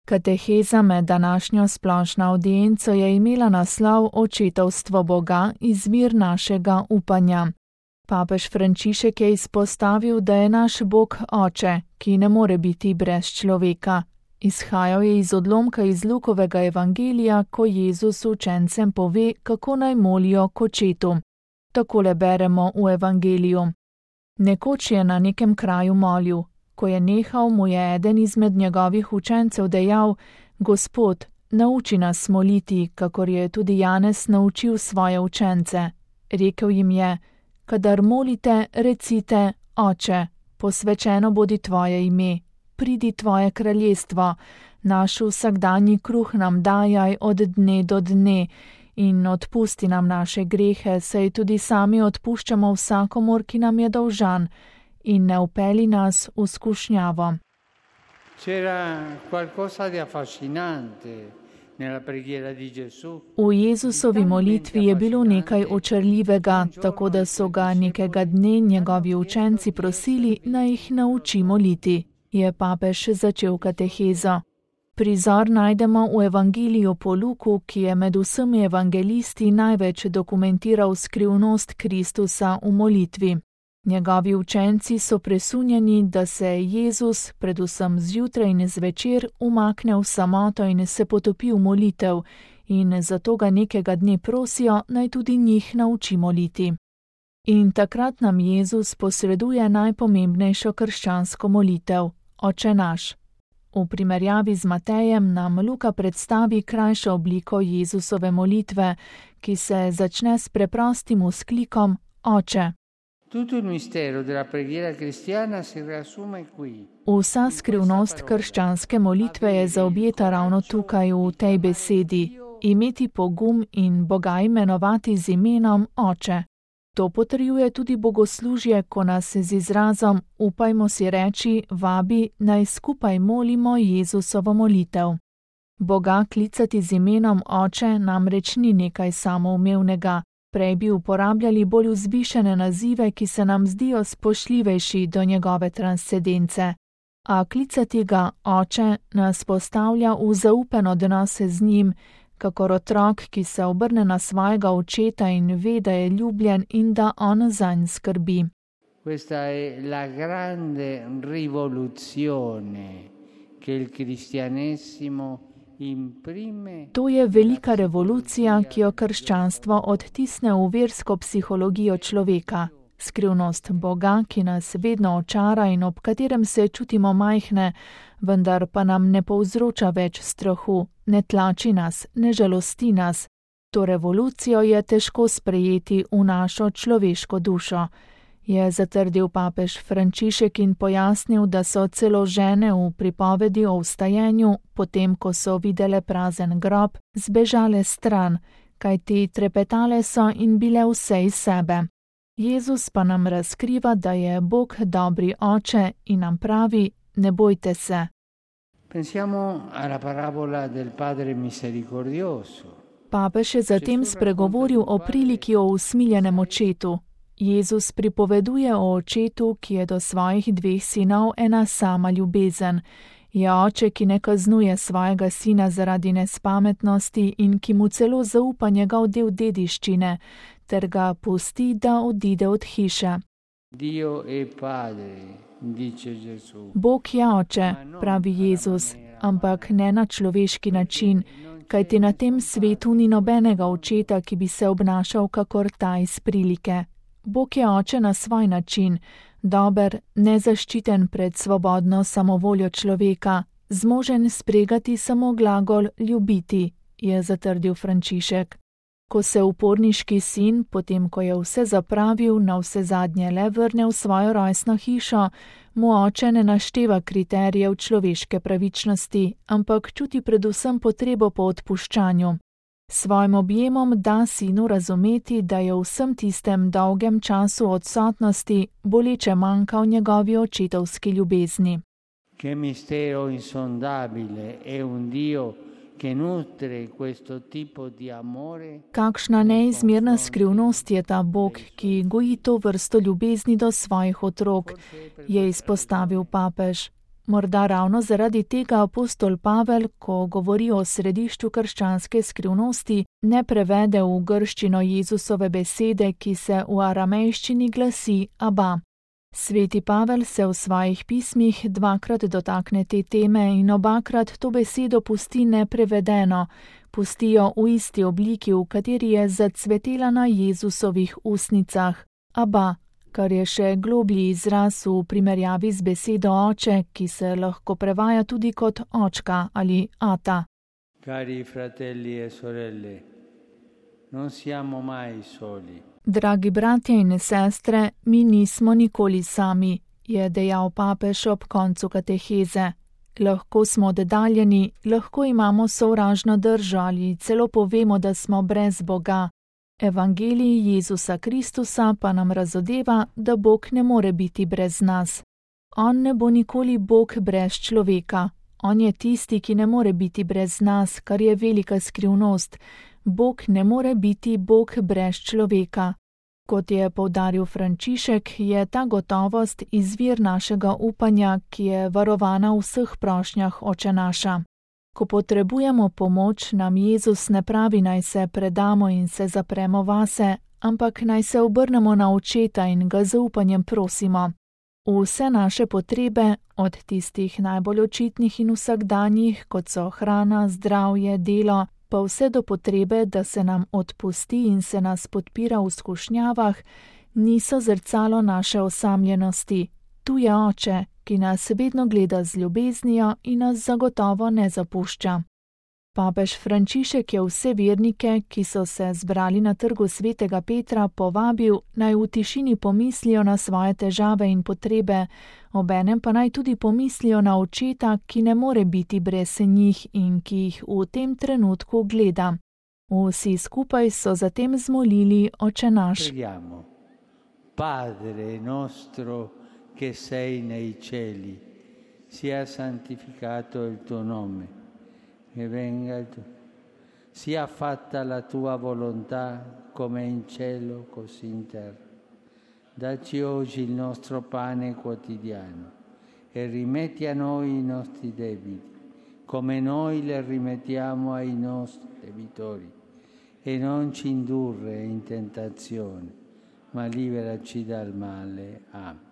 Kateheza med današnjo splošno avdienco je imela naslov Očetovstvo Boga, izvir našega upanja. Papež Frančišek je izpostavil, da je naš Bog Oče, ki ne more biti brez človeka. Izhajal je iz odlomka iz Lukovega evangelija, ko Jezus učencem pove, kako naj molijo k Očetu. Takole beremo v evangeliju. Nekoč je na nekem kraju molil. Ko je nehal, mu je eden izmed njegovih učencev dejal: Gospod, nauči nas moliti, kakor je tudi Janez naučil svoje učence. Rekel jim je: Kadar molite, recite: Oče, posvečeno bodi tvoje ime, pridi tvoje kraljestvo, naš vsakdanji kruh nam dajaj od dne do dne in odpusti nam naše grehe, saj tudi sami odpuščamo vsakomur, ki nam je dolžan, in ne vpelji nas v skušnjavo. C'era qualcosa di affascinante nella preghiera di Gesù. V Jezusovi molitvi je bilo nekaj očarljivega, tako da so ga nekega dne njegovi učenci prosili, naj jih nauči moliti. Je papež začel katehezo. Prizor najdemo v evangeliju po Luku, ki je med vsemi evangelisti največ dokumentiral skrivnost Kristusa v molitvi. Njegovi učenci so presunjeni, da se Jezus, predvsem zjutraj in zvečer, umakne v samoto in se potopi v molitev, in zato ga nekega dne prosijo, naj tudi njih nauči moliti. In takrat nam Jezus posreduje najpomembnejšo krščansko molitev, Oče naš. V primerjavi z Matejem nam Luka predstavi krajšo obliko Jezusove molitve, ki se začne s preprostim vzklikom Oče. Vsa skrivnost krščanske molitve je zaobjeta ravno tukaj v tej besedi: imeti pogum in Boga imenovati z imenom Oče. To potrjuje tudi bogoslužje, ko nas z izrazom upajmo si reči vabi, naj skupaj molimo Jezusovo molitev. Boga klicati z imenom Oče namreč ni nekaj samoumevnega. Prej bi uporabljali bolj vzvišene nazive, ki se nam zdijo spoštljivejši do njegove transcendence. A klicati ga Oče nas postavlja v zaupen odnos z njim, kakor otrok, ki se obrne na svojega očeta in ve, da je ljubljen in da on zanj skrbi. Questa è la grande rivoluzione che il cristianesimo To je velika revolucija, ki jo krščanstvo odtisne v versko psihologijo človeka. Skrivnost Boga, ki nas vedno očara in ob katerem se čutimo majhne, vendar pa nam ne povzroča več strahu, ne tlači nas, ne žalosti nas. To revolucijo je težko sprejeti v našo človeško dušo, je zatrdil papež Frančišek in pojasnil, da so celo žene v pripovedi o vstajenju, potem ko so videle prazen grob, zbežale stran, kajti trepetale so in bile vse iz sebe. Jezus pa nam razkriva, da je Bog dobri Oče in nam pravi: ne bojte se. Pensiamo alla parabola del Padre misericordioso. Papež je zatem spregovoril o priliki o usmiljenem očetu. Jezus pripoveduje o očetu, ki je do svojih 2 sinov ena sama ljubezen. Je oče, ki ne kaznuje svojega sina zaradi nespametnosti in ki mu celo zaupa njegov del dediščine, ter ga pusti, da odide od hiše. Bog je Oče, pravi Jezus, ampak ne na človeški način, kajti na tem svetu ni nobenega očeta, ki bi se obnašal kakor ta iz prilike. Bog je Oče na svoj način, dober, nezaščiten pred svobodno samovoljo človeka, zmožen spregati samo glagol ljubiti, je zatrdil Frančišek. Ko se uporniški sin, potem ko je vse zapravil, navsezadnje le vrne v svojo rojstno hišo, mu oče ne našteva kriterijev človeške pravičnosti, ampak čuti predvsem potrebo po odpuščanju. Svojim objemom da sinu razumeti, da je v vsem tistem dolgem času odsotnosti boleče manjkal njegovi očetovski ljubezni. Che mistero insondabile è un Dio che nutre questo tipo di amore. Kakšna neizmerna skrivnost je ta Bog, ki goji to vrsto ljubezni do svojih otrok, je izpostavil papež. Morda ravno zaradi tega apostol Pavel, ko govori o središču krščanske skrivnosti, ne prevede v grščino Jezusove besede, ki se v aramejščini glasi Aba. Sveti Pavel se v svojih pismih dvakrat dotakne te teme in obakrat to besedo pusti neprevedeno, pustijo v isti obliki, v kateri je zacvetela na Jezusovih ustnicah, Aba, kar je še globlji izraz v primerjavi z besedo oče, ki se lahko prevaja tudi kot očka ali ata. Cari fratelli e sorelle, non siamo mai soli. Dragi bratje in sestre, mi nismo nikoli sami, je dejal papež ob koncu kateheze. Lahko smo oddaljeni, lahko imamo sovražno držo ali celo povemo, da smo brez Boga. Evangelij Jezusa Kristusa pa nam razodeva, da Bog ne more biti brez nas. On ne bo nikoli Bog brez človeka. On je tisti, ki ne more biti brez nas, kar je velika skrivnost. Bog ne more biti Bog brez človeka. Kot je poudaril Frančišek, je ta gotovost izvir našega upanja, ki je varovana v vseh prošnjah Oče naša. Ko potrebujemo pomoč, nam Jezus ne pravi, naj se predamo in se zapremo vase, ampak naj se obrnemo na Očeta in ga z upanjem prosimo. V vse naše potrebe, od tistih najbolj očitnih in vsakdanjih, kot so hrana, zdravje, delo, pa vse do potrebe, da se nam odpusti in se nas podpira v skušnjavah, niso zrcalo naše osamljenosti. Tu je Oče, ki nas vedno gleda z ljubeznijo in nas zagotovo ne zapušča. Papež Frančišek je vse vernike, ki so se zbrali na trgu svetega Petra, povabil, naj v tišini pomislijo na svoje težave in potrebe, obenem pa naj tudi pomislijo na Očeta, ki ne more biti brez njih in ki jih v tem trenutku gleda. Vsi skupaj so zatem zmolili Oče naš. Preghiamo. Padre nostro che sei nei cieli, sia santificato il tuo nome. Che venga il tuo, sia fatta la tua volontà come in cielo così in terra. Dacci oggi il nostro pane quotidiano e rimetti a noi i nostri debiti, come noi le rimettiamo ai nostri debitori, e non ci indurre in tentazione, ma liberaci dal male. Amen.